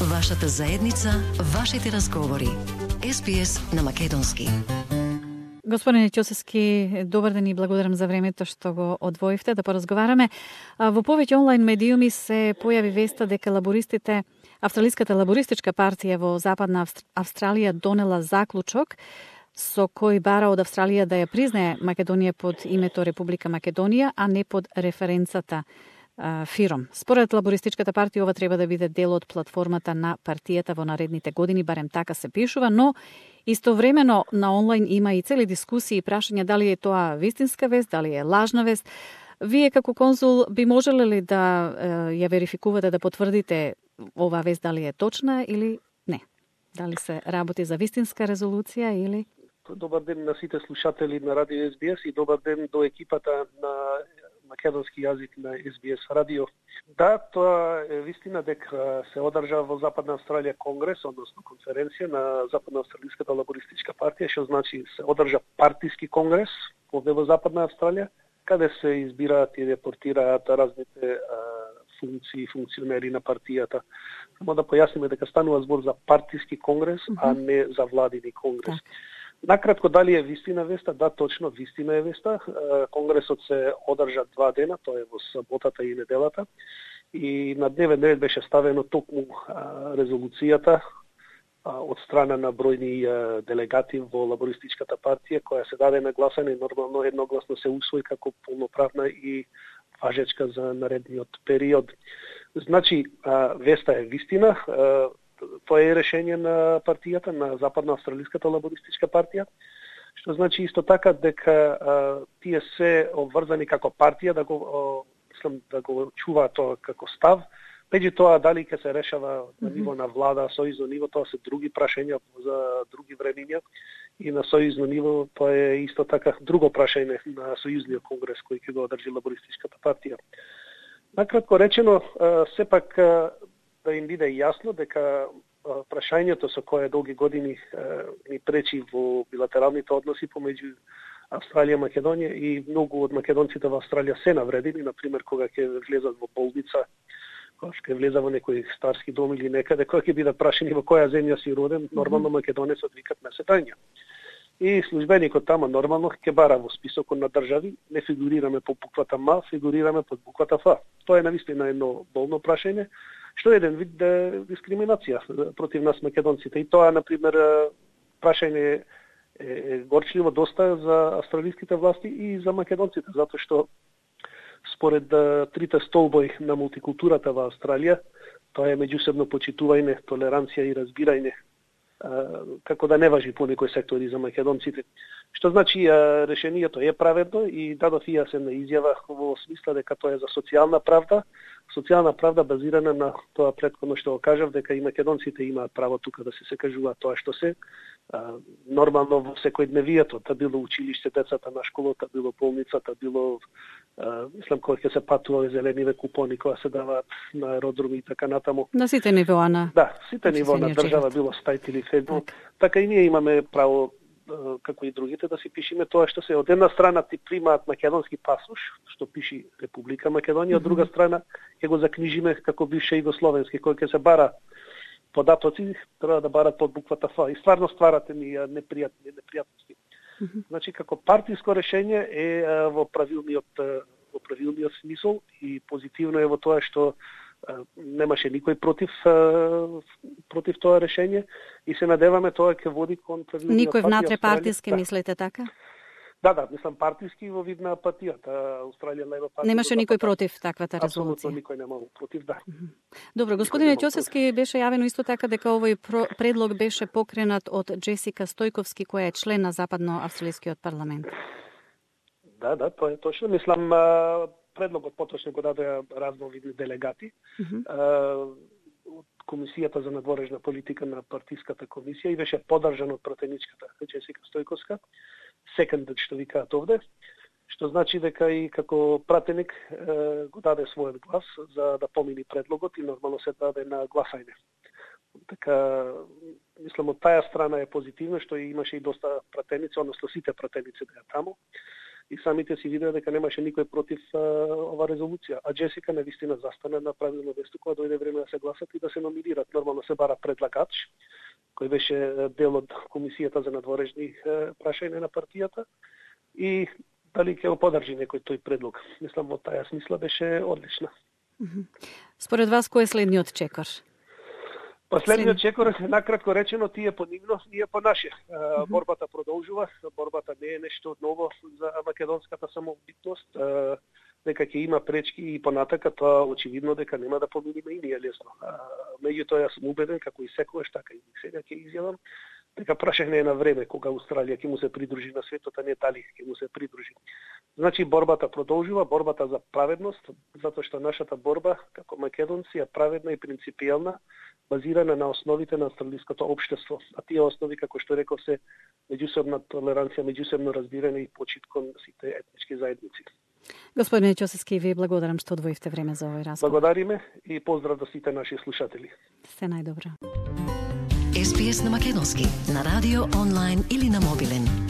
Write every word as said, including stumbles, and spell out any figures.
Вашата заедница, вашите разговори. Ес Би Ес на македонски. Господине Ќосевски, добар ден и благодарам за времето што го одвоивте да поразговараме. Во повеќе онлайн медиуми се појави веста дека лабористите, Австралиската лабористичка партија во Западна Австралија донела заклучок со кој бара од Австралија да ја признае Македонија под името Република Македонија, а не под референцата Фиром. Според лабористичката партија ова треба да биде дел од платформата на партијата во наредните години, барем така се пишува, но истовремено на онлайн има и цели дискусии и прашања дали е тоа вистинска вест, дали е лажна вест. Вие како конзул би можеле ли да ја верификувате, да потврдите ова вест дали е точна или не? Дали се работи за вистинска резолуција или... Добар ден на сите слушатели на Радио Ес Би Ес и добар ден до екипата на македонски јазик на Ес Би Ес радио. Да, тоа е вистина дека се одржа во Западна Австралија конгрес, односно конференција на Западна Австралиската лабористичка партија, што значи се одржа партиски конгрес овде во Западна Австралија, каде се избираат и репортираат разните а, функции, функционери на партијата. Само да појасниме дека станува збор за партиски конгрес, mm-hmm. а не за владини конгрес. Так. Накратко, дали е вистина веста? Да, точно, вистина е веста. Конгресот се одржа два дена, тоа е во саботата и неделата. И на дневен ред беше ставено токму резолуцијата од страна на бројни делегати во лабористичката партија, која се даде на гласање и нормално едногласно се усвои како полноправна и важечка за наредниот период. Значи, веста е вистина. Тоа е решение на партијата, на Западна Австралиската лабористичка партија, што значи исто така дека а, тие се обврзани како партија да го о, мислам да го чуваат тоа како став. Меѓу тоа дали ќе се решава на ниво на влада, сојузно ниво, тоа се други прашања за други времиња и на сојузно ниво тоа е исто така друго прашање на сојузниот конгрес кој ќе го одржи лабористичката партија. Накратко речено, а, сепак а, да им биде јасно дека прашањето со кое долги години ни пречи во билатералните односи помеѓу Австралија и Македонија и многу од македонците во Австралија се навредени, например кога ќе влезат во болница, кога ќе влезат во некој старски дом или некаде, кога ќе бидат прашани во која земја си роден, нормално македонецот викат меседања. И службеникот тама нормално ќе бара во списокот на држави, не фигурираме по буквата М, фигурираме под буквата Ф. Тоа е навистина едно болно прашање, што е еден вид дискриминација против нас македонците. И тоа, например, прашање е горчливо доста за австралиските власти и за македонците, затоа што според трите столбои на мултикултурата во Австралија, тоа е меѓусебно почитување, толеранција и разбирање, како да не важи по некои сектори за македонците. Што значи решението е праведно и дадов и јас една изјава во смисла дека тоа е за социјална правда, социјална правда базирана на тоа претходно што го кажав, дека и македонците имаат право тука да се се кажуваат тоа што се. А, нормално во секојдневието, та било училиште, децата на школата, било болницата, било а, мислам кога ќе се патува зелениве купони кога се даваат на аеродроми и така натаму. На сите нивоа на... Да, сите нивоа на држава, било стајт или федерал. Так. Така и ние имаме право како и другите, да си пишеме тоа што се. Од една страна ти примаат македонски пасош, што пиши Република Македонија, од друга страна ќе го закнижиме како бивша југословенски, кој ќе се бара податоци, треба да барат под буквата Ф. И стварно стварате ми непријатни непријатности. Mm -hmm. Значи, како партиско решение е во правилниот во правилниот смисол и позитивно е во тоа што немаше никој против против тоа решение и се надеваме тоа ќе води кон правилниот. Никој внатре партиски да. Мислите така? Да, да, мислам партиски во вид на партијата Австралија Лејбор партија. Немаше никој против таквата резолуција. Апсолутно никој немал против, да. Добро, господине Ќосевски, беше јавено исто така дека овој предлог беше покренат од Джесика Стојковски, која е член на Западно-австралискиот парламент. Да, да, тоа е точно. Мислам предлогот поточно го даде разновидни делегати. Mm-hmm. Од Комисијата за надворешна политика на партиската комисија и беше подржан од пратеничката Джесика Стојковска, секондат што викаат овде, што значи дека и како пратеник е, го даде својот глас за да помини предлогот и нормално се даде на гласање. Така, мислам, од таа страна е позитивно што имаше и доста пратеници, односно сите пратеници беа таму. и самите си видеа дека немаше никој против а, ова резолуција. А Джесика навистина застана на правилно место кога дојде време да се гласат и да се номинират. Нормално се бара предлагач, кој беше дел од комисијата за надворешни прашања на партијата и дали ќе го подржи некој тој предлог. Мислам, во таа смисла беше одлична. Според вас, кој е следниот чекор? Последниот чекор, накратко речено, тие по нивно, ние по наше. Uh, борбата продолжува, борбата не е нешто ново за македонската самобитност, uh, дека ќе има пречки и понатака, тоа очевидно дека нема да победиме и ние лесно. Uh, меѓутоа, јас сум убеден, како и секогаш, така и сега ќе изјавам, дека прашање е на време кога Австралија ќе му се придружи на светот, а не дали ќе му се придружи. Значи, борбата продолжува, борбата за праведност, затоа што нашата борба, како македонци, е праведна и принципијална, базирана на основите на австралиското општество. А тие основи, како што реков, се меѓусебна толеранција, меѓусебно разбирање и почит кон сите етнички заедници. Господине Ќосевски, ви благодарам што одвоивте време за овој разговор. Благодариме и поздрав до сите наши слушатели. Се најдобро. Ес Би Ес на македонски, на радио, онлайн или на мобилен.